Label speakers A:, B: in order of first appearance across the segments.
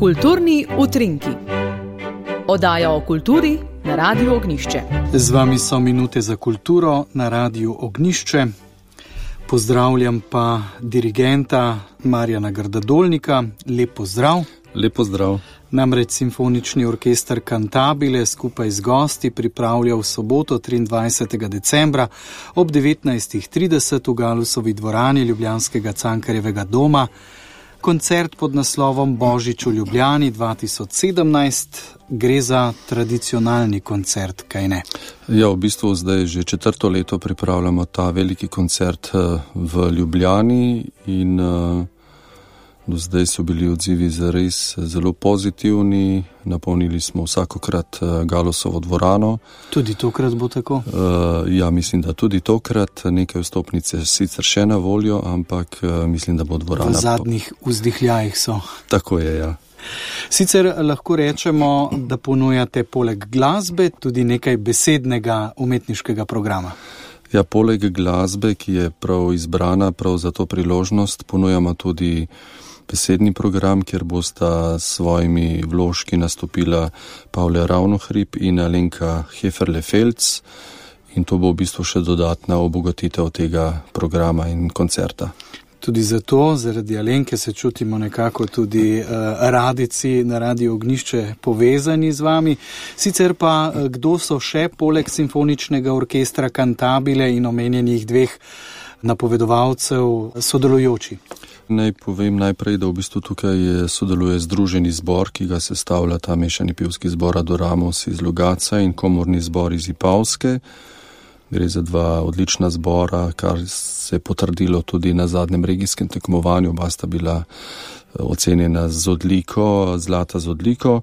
A: Kulturni utrinki. Oddaja o kulturi na Radiu Ognjišče.
B: Z vami so Minute za kulturo na Radiu Ognjišče. Pozdravljam pa dirigenta Marjana Grdadolnika. Lep pozdrav.
C: Lep pozdrav.
B: Namreč Simfonični orkester Cantabile skupaj z gosti pripravlja v soboto 23. decembra ob 19.30 v Galusovi dvorani ljubljanskega Cankarjevega doma koncert pod naslovom Božič v Ljubljani 2017. Gre za tradicionalni koncert, kaj ne?
C: Ja, v bistvu zdaj že 4. leto pripravljamo ta veliki koncert v Ljubljani in do zdaj so bili odzivi zares zelo pozitivni. Napolnili smo vsakokrat Galusovo dvorano.
B: Tudi tokrat bo tako?
C: Ja, mislim, da tudi tokrat. Nekaj vstopnice sicer še na voljo, ampak mislim, da bo dvorana...
B: V zadnjih vzdihljajih so.
C: Tako je, ja.
B: Sicer lahko rečemo, da ponujate poleg glasbe tudi nekaj besednega umetniškega programa.
C: Ja, poleg glasbe, ki je prav izbrana prav za to priložnost, ponujamo tudi besedni program, kjer bosta svojimi vložki nastopila Pavle Ravnohrib in Alenka Heferle-Felc, in to bo v bistvu še dodatna obogatitev tega programa in koncerta.
B: Tudi zato, zaradi Alenke, se čutimo nekako tudi radici na Radiu Ognjišče povezani z vami. Sicer pa, kdo so še poleg Simfoničnega orkestra Cantabile in omenjenih dveh napovedovalcev sodelujoči?
C: Naj povem najprej, da v bistvu tukaj sodeluje Združeni zbor, ki ga sestavlja ta mešani pevski zbor Adoramos iz Logatca in komorni zbor iz Ipavske. Gre za dva odlična zbora, kar se je potrdilo tudi na zadnjem regijskem tekmovanju. Oba sta bila ocenjena z odliko, zlata z odliko.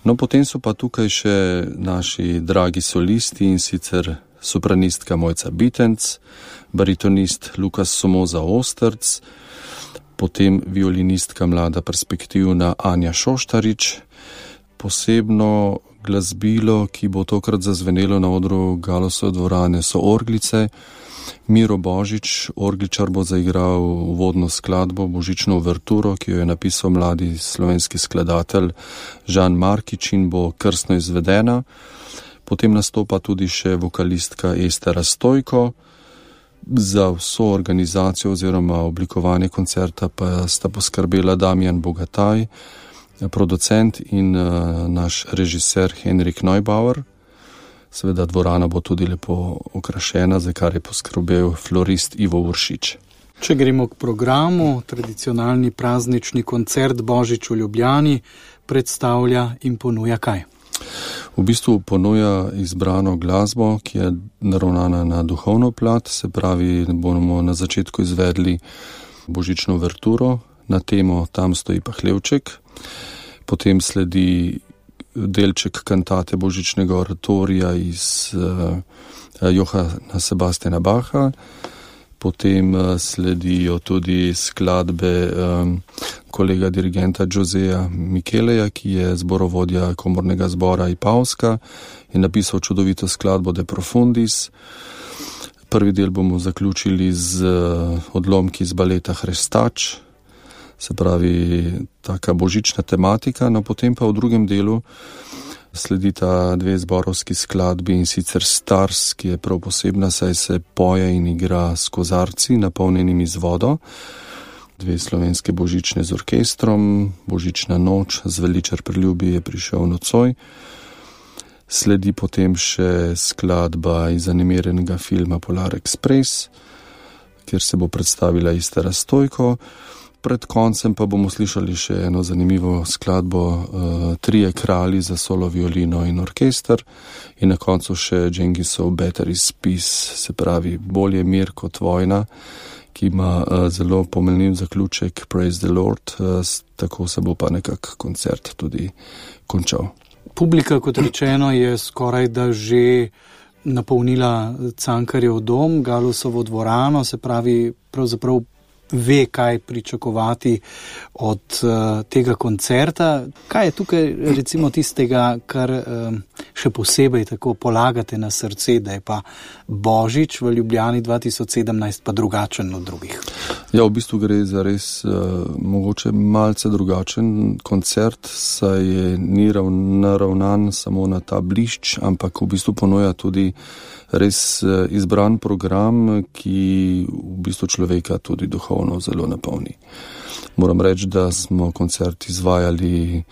C: No, potem so pa tukaj še naši dragi solisti, in sicer sopranistka Mojca Bitenc, baritonist Lukas Somoza Osterc, potem violinistka mlada perspektivna Anja Šoštarič, posebno glasbilo, ki bo tokrat zazvenelo na odru Galusove dvorane, so orglice. Miro Božič, orgličar, bo zaigral uvodno skladbo, božično uverturo, ki jo je napisal mladi slovenski skladatelj Žan Markič in bo krstno izvedena. Potem nastopa tudi še vokalistka Estera Stojko. Za vso organizacijo oziroma oblikovanje koncerta pa sta poskrbela Damjan Bogataj, producent, in naš režiser Henrik Neubauer. Seveda dvorana bo tudi lepo okrašena, za kar je poskrbel florist Ivo Uršič.
B: Če gremo k programu, tradicionalni praznični koncert Božič v Ljubljani predstavlja in ponuja kaj?
C: V bistvu ponuja izbrano glasbo, ki je naravnana na duhovno plat, se pravi, bomo na začetku izvedli božično uverturo na temo Tam stoji pa hlevček, potem sledi delček kantate božičnega oratorija iz Johana Sebastiana Bacha, potem sledijo tudi skladbe kolega dirigenta Joseja Micheleja, ki je zborovodja komornega zbora Ipavska in napisal čudovito skladbo De Profundis. Prvi del bomo zaključili z odlomki iz baleta Hrestač, se pravi taka božična tematika, no potem pa v drugem delu sledita dve zborovski skladbi, in sicer Stars, ki je prav posebna, saj se poje in igra s kozarci napolnjenimi z vodo, dve slovenske božične z orkestrom, Božična noč, Zveličar priljubi je prišel nocoj. Sledi potem še skladba iz animiranega filma Polar Express, kjer se bo predstavila Estera Stojko. Pred koncem pa bomo slišali še eno zanimivo skladbo Trije kralji za solo violino in orkester, in na koncu še Džengisov Better is Peace, se pravi Bolje mir kot vojna, ki ima zelo pomenljiv zaključek Praise the Lord, tako se bo pa nekak koncert tudi končal.
B: Publika, kot rečeno, je skoraj da že napolnila Cankarjev dom, Galusovo dvorano, se pravi pravzaprav ve, kaj pričakovati od tega koncerta. Kaj je tukaj recimo tistega, kar še posebej tako polagate na srce, da je pa Božič v Ljubljani 2017 pa drugačen od drugih?
C: Ja, v bistvu gre za res mogoče malce drugačen koncert, saj ni naravnan samo na ta blišč, ampak v bistvu ponuja tudi res izbran program, ki v bistvu človeka tudi duhovno zelo napolni. Moram reči, da smo koncert izvajali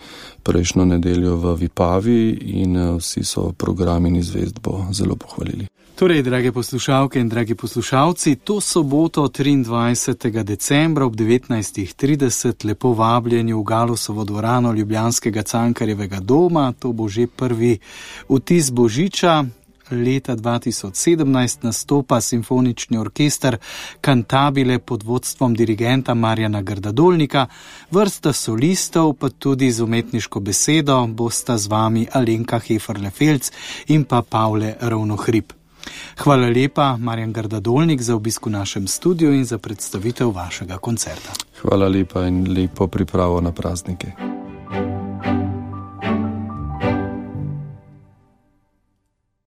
C: prejšnjo nedeljo v Vipavi in vsi so program in izvedbo zelo pohvalili.
B: Torej, drage poslušalke in dragi poslušalci, to soboto 23. decembra ob 19.30 lepo vabljeni v Galusovo dvorano ljubljanskega Cankarjevega doma. To bo že prvi vtis božiča. Leta 2017 nastopa simfonični orkester Cantabile pod vodstvom dirigenta Marjana Grdadolnika, vrsta solistov pa tudi z umetniško besedo bosta z vami Alenka Heferle-Felc in pa Pavle Ravnohrib. Hvala lepa, Marjan Grdadolnik, za obisk v našem studiu in za predstavitev vašega koncerta.
C: Hvala lepa in lepo pripravo na praznike.